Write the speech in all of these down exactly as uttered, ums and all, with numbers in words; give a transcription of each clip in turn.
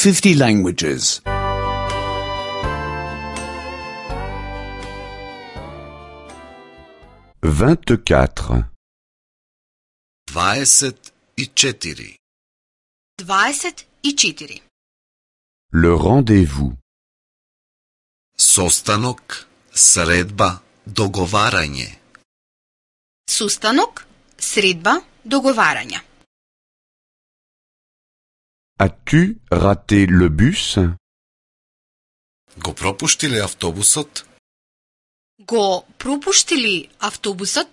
fifty languages. vingt-quatre. дваесет и четири. дваесет и четири. Le rendez-vous. Состанок, средба, договарање. Сустанок, средба, договарање. As-tu raté le bus? Го пропушти ли автобусот? Го пропушти ли автобусот?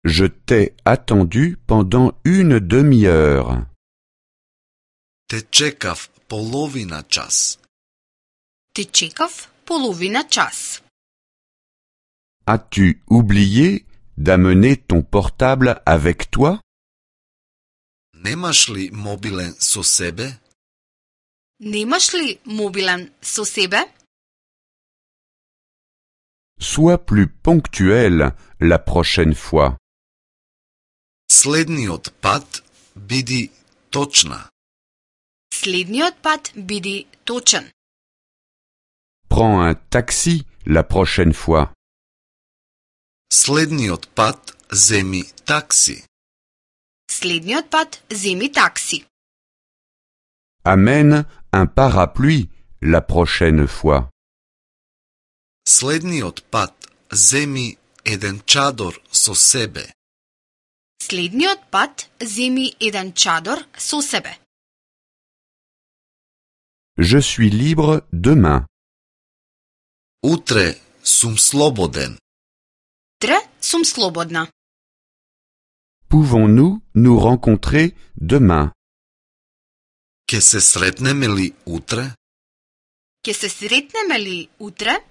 Je t'ai attendu pendant une demi-heure. Те чекав половина час. Те чекав половина час. As-tu oublié d'amener ton portable avec toi? Немаш ли мобилен со себе? Немаш ли мобилен со себе? Sois plus ponctuel la prochaine fois. Следниот пат биди точна. Следниот пат биди точен. Prends un taxi la prochaine fois. Следниот пат земи такси. Следниот пат земи такси. Amène un parapluie la prochaine fois. Следниот пат земи еден чадор со себе. Следниот пат земи еден чадор со себе. Je suis libre demain. Утре сум слободен. Утре сум слободна. Pouvons-nous nous rencontrer demain? Ке се сретнеме ли утре? Ке се сретнеме ли утре?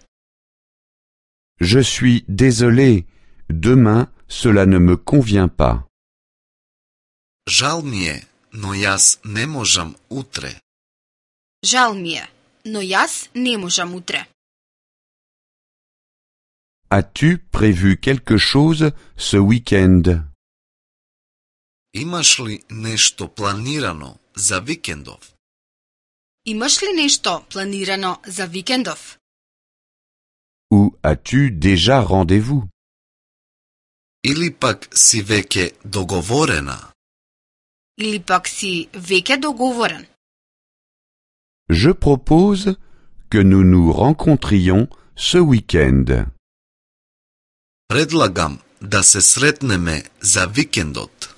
Je suis désolé. Demain, cela ne me convient pas. Жал ми е, но јас не можам утре. Жал ми е, но јас не можам утре. As-tu prévu quelque chose ce week-end? Имаш ли нешто планирано за викендов? Имаш ли нешто планирано за викендов? Ou as-tu déjà rendez-vous? Или пак си веќе договорена? Или пак си веќе договорен? Je propose que nous nous rencontrions ce week-end. Предлагам да се сретнеме за викендот.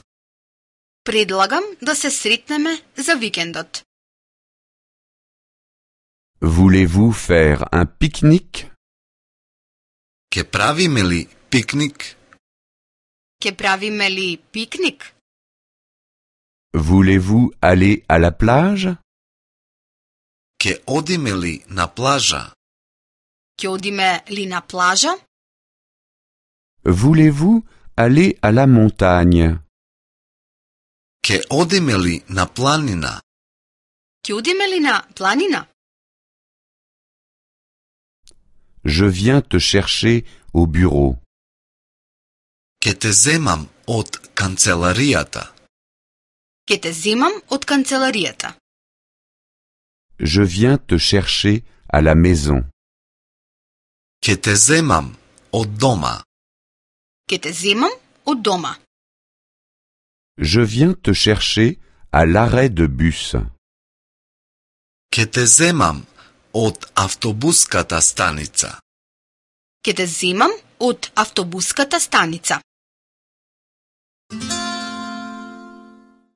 Предлагам да се сретнеме за викендот. Voulez-vous faire un pique-nique? Ке правиме ли пикник? Ке правиме ли пикник? Voulez-vous aller à la plage? Ке одиме ли на плажа? Ке одиме ли на плажа? Voulez-vous aller à la montagne? Ке одиме ли на планина? Ке одиме ли на планина? Je viens te chercher au bureau. Ке те земам од канцеларијата. Ке те земам од канцеларијата. Je viens te chercher à la maison. Ке те земам од дома. Ке те земам од дома. Je viens te chercher à l'arrêt de bus. Ке те земам од автобуската станица. Ке те земам од автобуската станица.